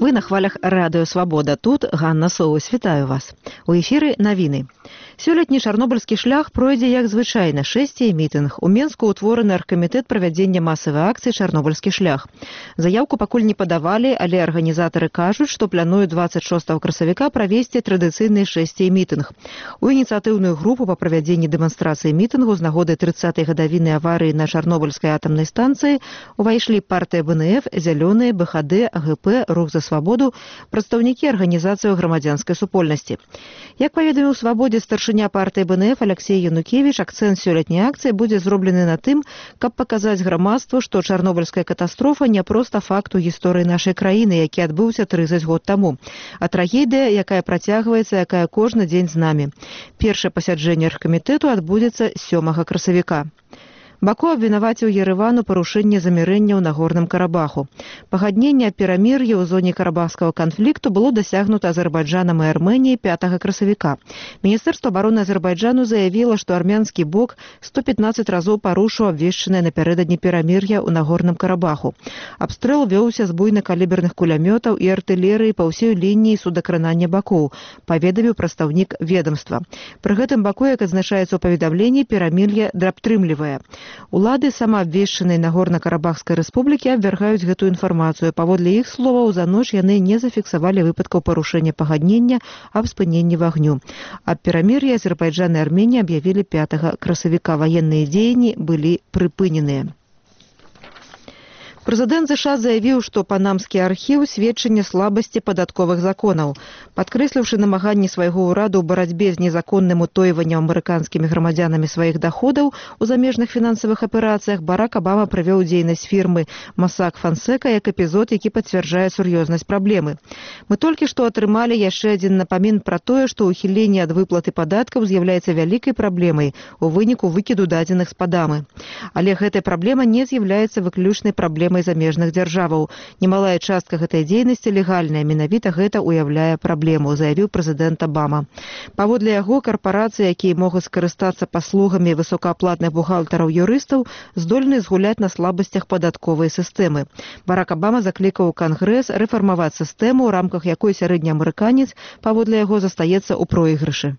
Вы на хвалях радыё «Свабода». Тут Ганна Соус. Вітаю вас. У эфіры навіны. Сёлетні чарнобыльскі шлях пройдзе як звычайна, шэсце і мітынг. У Менску ўтвораны аргкамітэт правядзення масавай акцыі «Чарнобыльскі шлях». Заяўку пакуль не падавалі, але арганізатары кажуць, што плануюць 26 красавіка правесці традыцыйны шэсце і мітынг. У ініцыятыўную групу па правядзенні дэманстрацыі мітынгу з нагоды 30-й гадавіны аварыі на Чарнобыльскай атамнай станцыі увайшлі партыя БНФ, Зялёныя, БХД, АГП, Рух за свабоду, прадстаўнікі арганізацыяў грамадзянскай супольнасці. Як паведаміў «Свабодзе» старшыня партыі БНФ Алексей Янукевіч, акцэнт сёлетняй акцыі будзе зроблены на тым, каб паказаць грамадству, што чарнобыльская катастрофа не проста факт у гісторыі нашай краіны, які адбыўся 30 год таму, а трагедыя, якая працягваецца, якая кожны дзень з намі. Першае пасяджэнне аргкамітэту адбудзецца 7 красавіка. Баку абвінаваціў Ерэван у парушэнні замірэння ў Нагорным Карабаху. Пагадненне аб перамір'і ў зоне карабахскага канфлікту было дасягнута Азербайджанам і Арменіяй 5 красавіка. Міністэрства абароны Азербайджану заявіла, што армянскі бок 115 разоў парушыў абвешчанае напярэдадні перамір'я ў Нагорным Карабаху. Абстрэл вёўся з буйнакаліберных кулямётаў і артылерыі па ўсёй лініі судакранання бакоў, паведаміў прадстаўнік ведамства. Пры гэтым баку, як адзначаецца ў паведамленні, перамір'е драбтрымлівае. Улады самаабвешчанай Нагорна-Карабахскай рэспублікі абвяргаюць гэтую інфармацыю. Паводле іх словаў, за ноч яны не зафіксавалі выпадкаў парушэння пагаднення аб спыненні вагню. Аб перамір'і Азербайджан і Арменія аб'явілі 5 красавіка. Ваенныя дзеянні былі прыпыненыя. Прэзідэнт США заявіў, што панамскі архіў сведчанне слабасці падатковых законаў. Падкрэсліўшы намаганні свайго ўраду ў барацьбе з незаконным утойваннем амерыканскімі грамадзянамі сваіх даходаў у замежных фінансавых аперацыях, Барак Абама прывёў дзейнасць фірмы Mossack Fonseca як эпізод, які пацвярджае сур'ёзнасць праблемы. Мы толькі што атрымалі яшчэ адзін напамін пра тое, што ўхіленне ад выплаты падаткаў з'яўляецца вялікай праблемай у выніку выкіду дадзеных з Падамы. Але гэтая праблема не з'яўляецца выключнай праблемай замежных дзяржаваў. Немалая частка гэтай дзейнасці легальная, менавіта гэта уяўляе праблему, заявіў прэзідэнт Абама. Паводле яго, карпорацыі, якія могуць скарыстацца паслугамі высокааплатных бухгалтараў-юрыстаў, здольны згуляць на слабасцях падатковай сістэмы. Барак Абама заклікаў Кангрэс рэфармаваць сістэму, у рамках якой сярэдні амерыканец, паводле яго, застаецца ў пройгрышы.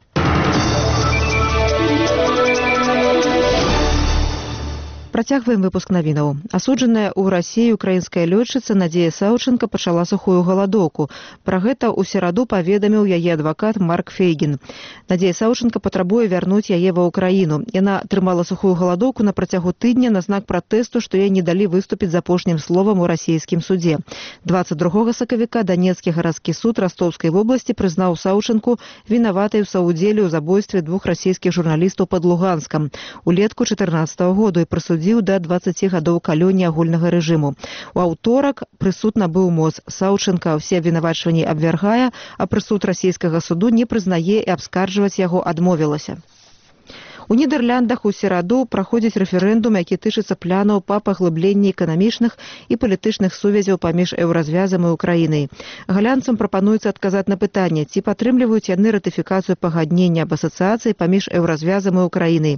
Працягваем выпуск навінаў. Асуджаная ў Расіі украінская лётчыца Надзея Саўченка пачала сухую галадоўку. Пра гэта ў сераду паведаміў яе адвакат Марк Фейгін. Надзея Саўченка патрабуе вярнуць яе ва ўкраіну. Яна трымала сухую галадоўку на працягу тыдня на знак пратэсту, што яй не далі выступіць з апошнім словам у расійскім судзе. 22 сакавіка Данецкі гарадскі суд Ростовскай вобласці прызнаў Саўченку вінаватай у саўдзеле ў забойстве 2 расійскіх журналістаў пад Луганскам улетку 14 году і прысудзіў да 20 гадоў калоніі агульнага рэжыму. У аўторак прысуд набыў моц. Саўченка ўсе абвінавачванні абвяргае, а прысуд расійскага суду не прызнае і абскарджваць яго адмовілася. У Нідэрляндах у сераду праходзіць рэферэндум, які тычыцца планаў па паглыбленні эканамічных і палітычных сувязяў паміж еўразвязам і Украінай. Галянцам прапануецца адказаць на пытанне, ці падтрымліваюць яны ратыфікацыю пагаднення аб асацыяцыі паміж еўразвязам і Украінай.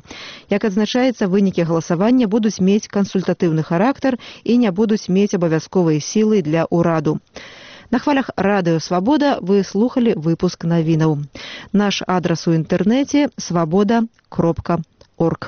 Як адзначаецца, вынікі галасавання будуць мець кансультатыўны характар і не будуць мець абавязковай сілы для ўраду. На хвалях радыё «Свабода» вы слухали выпуск навінаў. Наш адрас у інтэрнэце – свабода.орг.